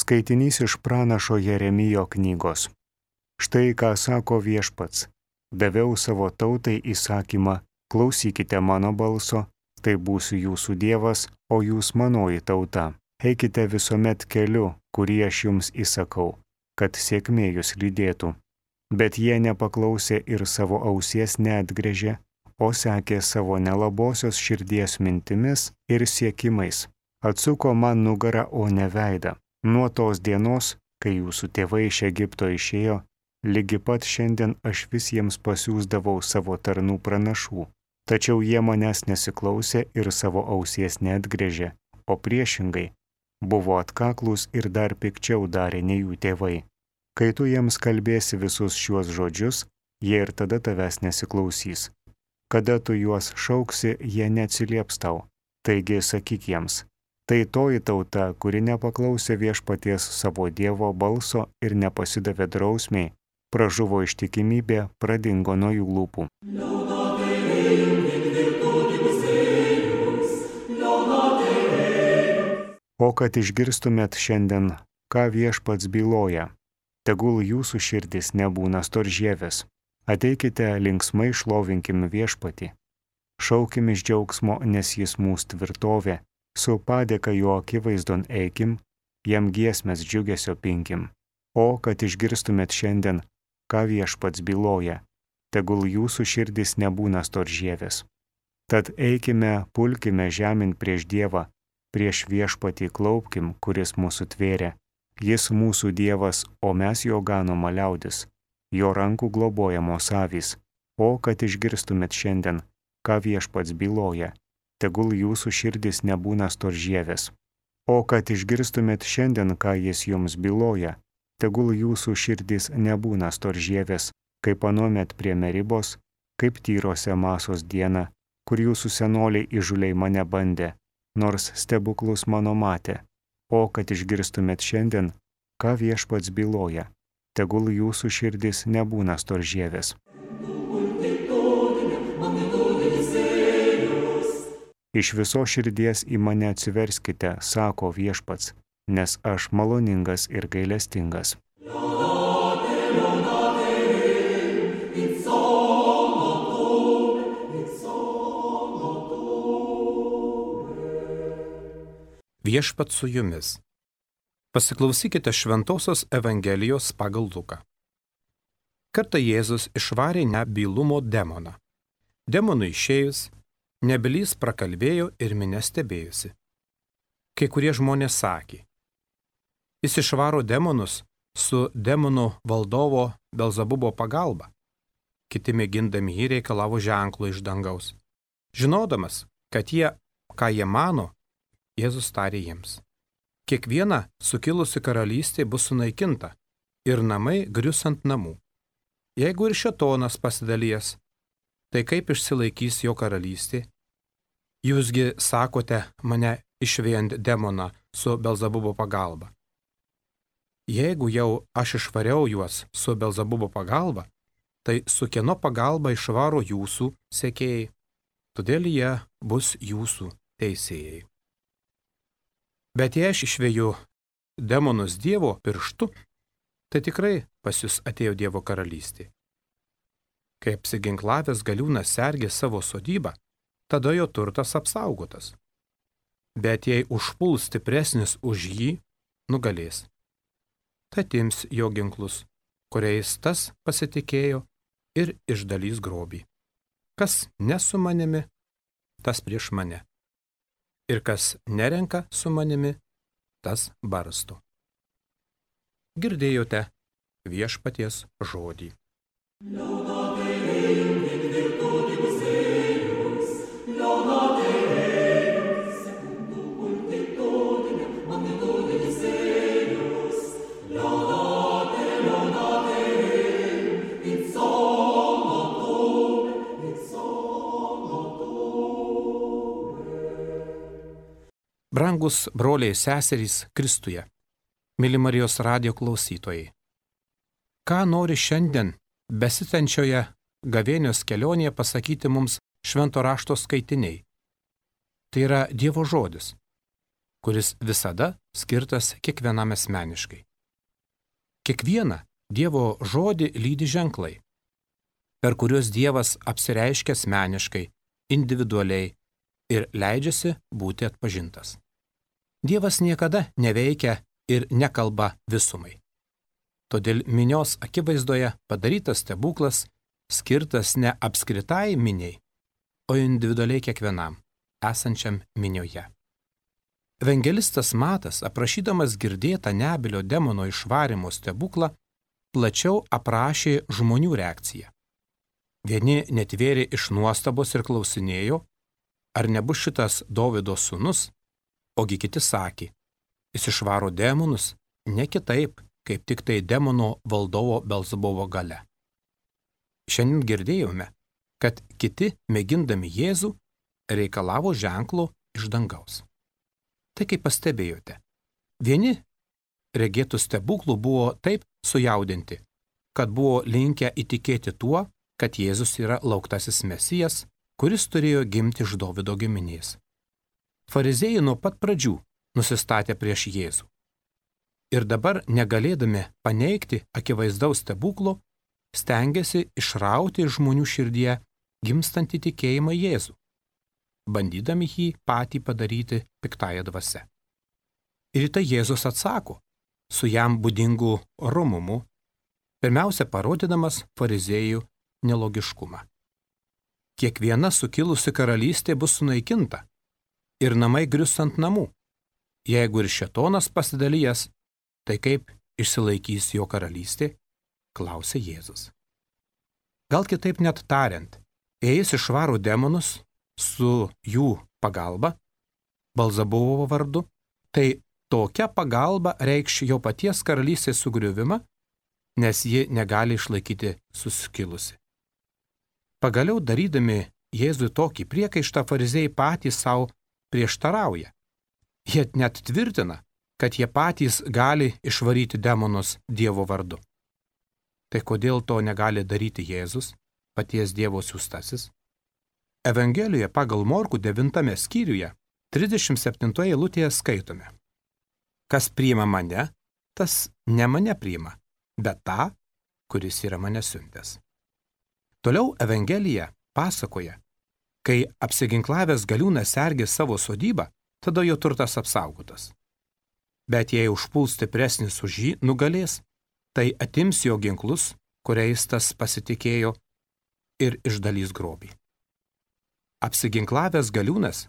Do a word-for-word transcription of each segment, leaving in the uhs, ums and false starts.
Skaitinys iš pranašo Jeremijo knygos. Štai ką sako Viešpats. Daviau savo tautai įsakymą, klausykite mano balso, tai būsiu jūsų Dievas, o jūs manoji tauta. Eikite visuomet keliu, kurį aš jums įsakau, kad sėkmė jūs lydėtų. Bet jie nepaklausė ir savo ausies neatgręžė, o sekė savo nelabosios širdies mintimis ir siekimais. Atsuko man nugarą, o ne veidą. Nuo tos dienos, kai jūsų tėvai iš Egipto išėjo, lygi pat šiandien aš vis jiems pasiųsdavau savo tarnų pranašų. Tačiau jie manęs nesiklausė ir savo ausies neatgręžė, o priešingai buvo atkaklūs ir dar pikčiau darė nei jų tėvai. Kai tu jiems kalbėsi visus šiuos žodžius, jie ir tada tavęs nesiklausys. Kada tu juos šauksi, jie neatsilieps tau. Taigi sakyk jiems, tai toji tauta, kuri nepaklausė Viešpaties savo Dievo balso ir nepasidavė drausmiai, pražuvo ištikimybė, pradingo nuo jų lūpų. O kad išgirstumėt šiandien, ką Viešpats byloja, tegul jūsų širdis nebūna storžieves. Ateikite linksmai šlovinkim Viešpatį. Šaukim iš džiaugsmo, nes jis mūsų tvirtovė. Su padėka jo akivaizdon eikim, jam giesmės džiugesio pinkim. O kad išgirstumėt šiandien, ką Viešpats byloja, tegul jūsų širdis nebūna storžieves. Tad eikime, pulkime žemyn prieš Dievą, prieš Viešpatį klaupkim, kuris mūsų tvėrė. Jis mūsų Dievas, o mes jo ganoma liaudis, jo rankų globojamos avys. O kad išgirstumėt šiandien, ką Viešpats byloja, tegul jūsų širdis nebūna storžieves. O kad išgirstumėt šiandien, ką jis jums byloja, tegul jūsų širdis nebūna storžieves, kaip anuomet prie Meribos, kaip Tyrose Masos dieną, kur jūsų senoliai įžūliai mane bandė, nors stebuklus mano matė. O kad išgirstumėt šiandien, ką Viešpats byloja, tegul jūsų širdis nebūna storžieves. Iš viso širdies į mane atsiverskite, sako Viešpats, nes aš maloningas ir gailestingas. Viešpats su jumis. Pasiklausykite Šventosios Evangelijos pagal Luką. Kartą Jėzus išvarė nebylumo demoną. Demonui išėjus, nebylys prakalbėjo ir minia stebėjusi. Kai kurie žmonės sakė, jis išvaro demonus su demonų valdovo Belzebubo pagalba. Kiti mėgindami jį reikalavo ženklo iš dangaus. Žinodamas, kad jie, ką jie mano, Jėzus tarė jiems. Kiekviena sukilusi karalystė bus sunaikinta ir namai grius ant namų. Jeigu ir šėtonas pasidalijęs, tai kaip išsilaikys jo karalystė? Jūsgi sakote mane išvėjant demoną su Belzebubo pagalba. Jeigu jau aš išvariau juos su Belzebubo pagalba, tai su kieno pagalba išvaro jūsų sekėjai, todėl jie bus jūsų teisėjai. Bet jei aš išvėju demonus Dievo pirštu, tai tikrai pas jūs atėjo Dievo karalystė. Kai apsiginklavęs galiūnas sergė savo sodybą, tada jo turtas apsaugotas. Bet jei užpuls stipresnis už jį, nugalės. Tai atims jo ginklus, kuriais tas pasitikėjo ir išdalys grobį. Kas ne su manimi, tas prieš mane. Ir kas nerenka su manimi, tas barsto. Girdėjote Viešpaties žodį. Brangus broliai ir seserys Kristuje, myli Marijos radijo klausytojai. Ką nori šiandien besitenčioje gavėnios kelionėje pasakyti mums švento rašto skaitiniai? Tai yra Dievo žodis, kuris visada skirtas kiekvienam asmeniškai. Kiekvieną Dievo žodį lydi ženklai, per kuriuos Dievas apsireiškia asmeniškai, individualiai ir leidžiasi būti atpažintas. Dievas niekada neveikia ir nekalba visumai. Todėl minios akivaizdoje padarytas stebuklas skirtas ne apskritai miniai, o individualiai kiekvienam, esančiam minioje. Evangelistas Matas, aprašydamas girdėtą Nebylio demono išvarymo stebuklą, plačiau aprašė žmonių reakciją. Vieni netvėrė iš nuostabos ir klausinėjo, ar nebus šitas Dovydo sūnus, ogi kiti sakė, jis išvaro demonus ne kitaip, kaip tik tai demono valdovo Belzebubo galia. Šiandien girdėjome, kad kiti, mėgindami Jėzų, reikalavo ženklo iš dangaus. Tai kaip pastebėjote, vieni regėtų stebuklų buvo taip sujaudinti, kad buvo linkę įtikėti tuo, kad Jėzus yra lauktasis Mesijas, kuris turėjo gimti iš Dovydo giminės. Fariziejai nuo pat pradžių nusistatė prieš Jėzų. Ir dabar, negalėdami paneigti akivaizdaus stebuklo, stengiasi išrauti iš žmonių širdyje gimstantį tikėjimą Jėzų, bandydami jį patį padaryti piktąją dvasią. Ir tai Jėzus atsako su jam būdingu rumumu, pirmiausia parodydamas fariziejų nelogiškumą. Kiekviena sukilusi karalystė bus sunaikinta ir namai grius ant namų. Jeigu ir šėtonas pasidalijęs, tai kaip išsilaikys jo karalystė, klausė Jėzus. Gal kitaip net tariant, jei jis išvaro demonus su jų pagalba, Belzebubo vardu, tai tokia pagalba reikš jo paties karalystės sugriuvimą, nes ji negali išlaikyti suskilusi. Pagaliau darydami Jėzui tokį priekaištą, fariziejai patys savo prieštarauja. Jie net tvirtina, kad jie patys gali išvaryti demonus Dievo vardu. Tai kodėl to negali daryti Jėzus, paties Dievo siųstasis? Evangelijoje pagal Morkų devintame skyriuje, trisdešimt septintoje eilutėje skaitome. Kas priima mane, tas ne mane priima, bet tą, kuris yra mane siuntęs. Toliau Evangelija pasakoja, kai apsiginklavęs galiūnas sergė savo sodybą, tada jo turtas apsaugotas. Bet jei užpuls stipresnis už jį, nugalės, tai atims jo ginklus, kuriais tas pasitikėjo, ir išdalys grobį. Apsiginklavęs galiūnas,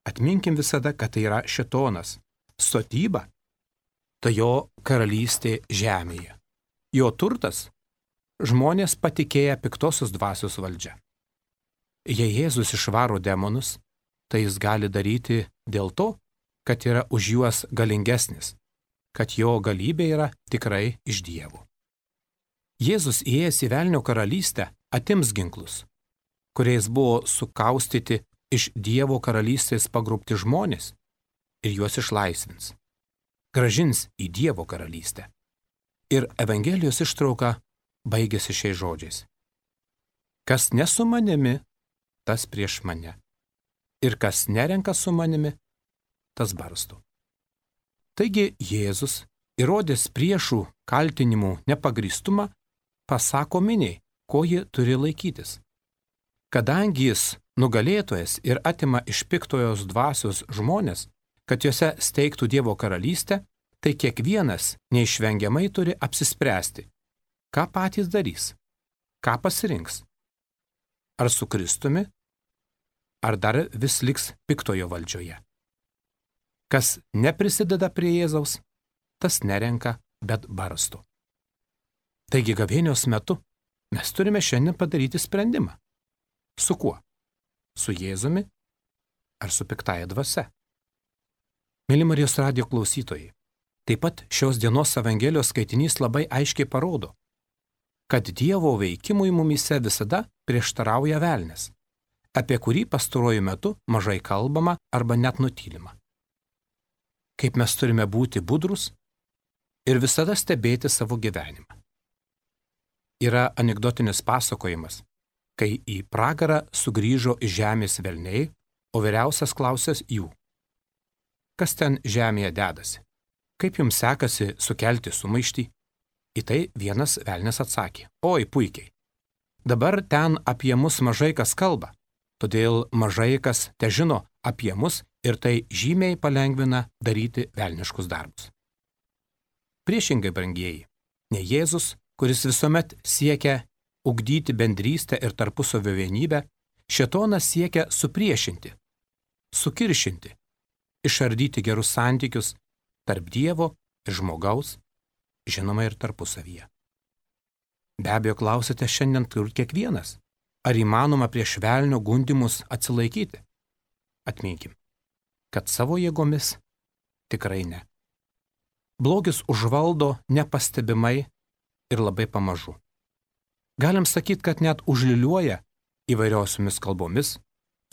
atminkim visada, kad tai yra šėtonas, sodyba, tai jo karalystė žemėje. Jo turtas – žmonės patikėję piktosios dvasios valdžia. Jei Jėzus išvaro demonus, tai jis gali daryti dėl to, kad yra už juos galingesnis, kad jo galybė yra tikrai iš Dievo. Jėzus įėjęs į velnio karalystę atims ginklus, kuriais buvo sukaustyti iš Dievo karalystės pagrobti žmonės ir juos išlaisvins. Grąžins į Dievo karalystę. Ir Evangelijos ištrauka baigėsi šiais žodžiais. Kas ne su manimi, tas prieš mane. Ir kas nerenka su manimi, tas barsto. Taigi Jėzus, įrodęs priešų kaltinimų nepagrįstumą, pasako miniai, ko ji turi laikytis. Kadangi jis nugalėtojas ir atima iš piktojos dvasios žmonės, kad juose steigtų Dievo karalystę, tai kiekvienas neišvengiamai turi apsispręsti, ką patys darys, ką pasirinks. Ar su Kristumi, ar dar vis liks piktojo valdžioje. Kas neprisideda prie Jėzaus, tas nerenka, bet barsto. Taigi gavėnios metu mes turime šiandien padaryti sprendimą. Su kuo? Su Jėzumi ar su piktaja dvasia? Mėly Marijos radijo klausytojai, taip pat šios dienos Evangelijos skaitinys labai aiškiai parodo, kad Dievo veikimui mumyse visada prieštarauja velnias, apie kurį pastaruoju metu mažai kalbama arba net nutylima. Kaip mes turime būti budrus ir visada stebėti savo gyvenimą. Yra anekdotinis pasakojimas, kai į pragarą sugrįžo iš žemės velniai, o vyriausias klausęs jų. kas ten žemėje dedasi. Kaip jums sekasi sukelti sumaištį? Į tai vienas velnias atsakė, oi puikiai. Dabar ten apie mus mažai kas kalba, todėl mažai kas te žino apie mus ir tai žymiai palengvina daryti velniškus darbus. Priešingai, brangieji, ne Jėzus, kuris visuomet siekia ugdyti bendrystę ir tarpusavio vienybę, šėtonas siekia supriešinti, sukiršinti, išardyti gerus santykius tarp Dievo ir žmogaus, žinoma ir tarpusavyje. Be abejo, klausite šiandien turbūt kiekvienas, ar įmanoma prieš velnio gundymus atsilaikyti? Atminkim, kad savo jėgomis tikrai ne. Blogis užvaldo nepastebimai ir labai pamažu. Galim sakyti, kad net užliuliuoja įvairiosiomis kalbomis,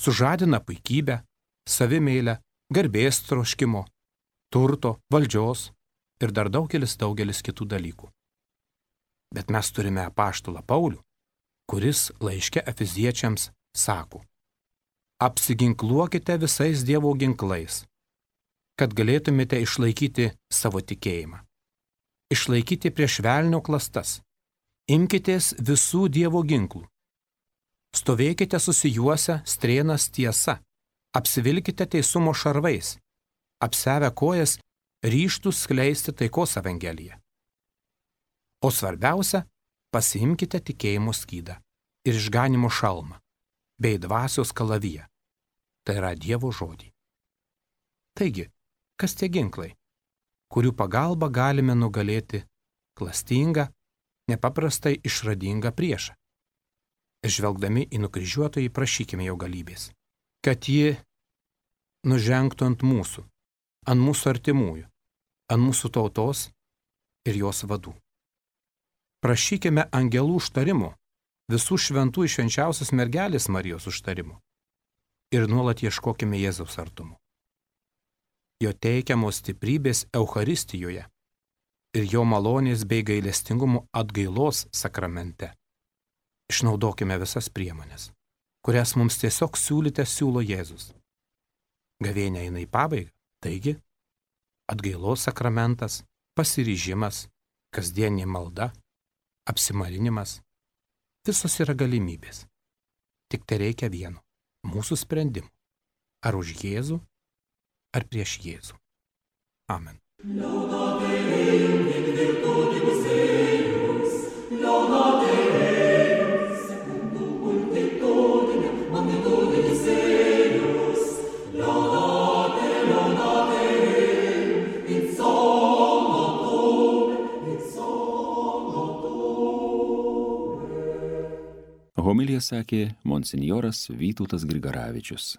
sužadina puikybę, savimeilę, garbės troškimo, turto, valdžios ir dar daugelis daugelis kitų dalykų. Bet mes turime apaštalą Paulių, kuris laiške Efeziečiams sako: apsiginkluokite visais Dievo ginklais, kad galėtumėte išlaikyti savo tikėjimą. Išlaikyti prieš velnio klastas. Imkitės visų Dievo ginklų. Stovėkite susijuose strėnas tiesa. Apsivilkite teisumo šarvais. Apsevę kojas ryžtus skleisti taikos evangeliją. O svarbiausia, pasiimkite tikėjimo skydą ir išganimo šalmą, bei dvasios kalaviją. Tai yra Dievo žodį. Taigi, kas tie ginklai, kurių pagalba galime nugalėti klastingą, nepaprastai išradingą priešą? Žvelgdami į nukryžiuotojį prašykime jo galybės, kad ji nužengtų ant mūsų, ant mūsų artimųjų, ant mūsų tautos ir jos vadų. Prašykime angelų užtarimo, visų šventų švenčiausios mergelės Marijos užtarimo ir nuolat ieškokime Jėzaus artumo. Jo teikiamos stiprybės Eucharistijoje ir jo malonės bei gailestingumo atgailos sakramente. Išnaudokime visas priemonės, kurias mums tiesiog siūlyte siūlo Jėzus. Gavėnia eina į pabaigą, taigi atgailos sakramentas, pasiryžimas, kasdienė malda, apsimarinimas, visos yra galimybės. Tik tai reikia vieno – mūsų sprendimų. Ar už Jėzų, ar prieš Jėzų. Amen. Homiliją sakė monsinjoras Vytautas Grigaravičius.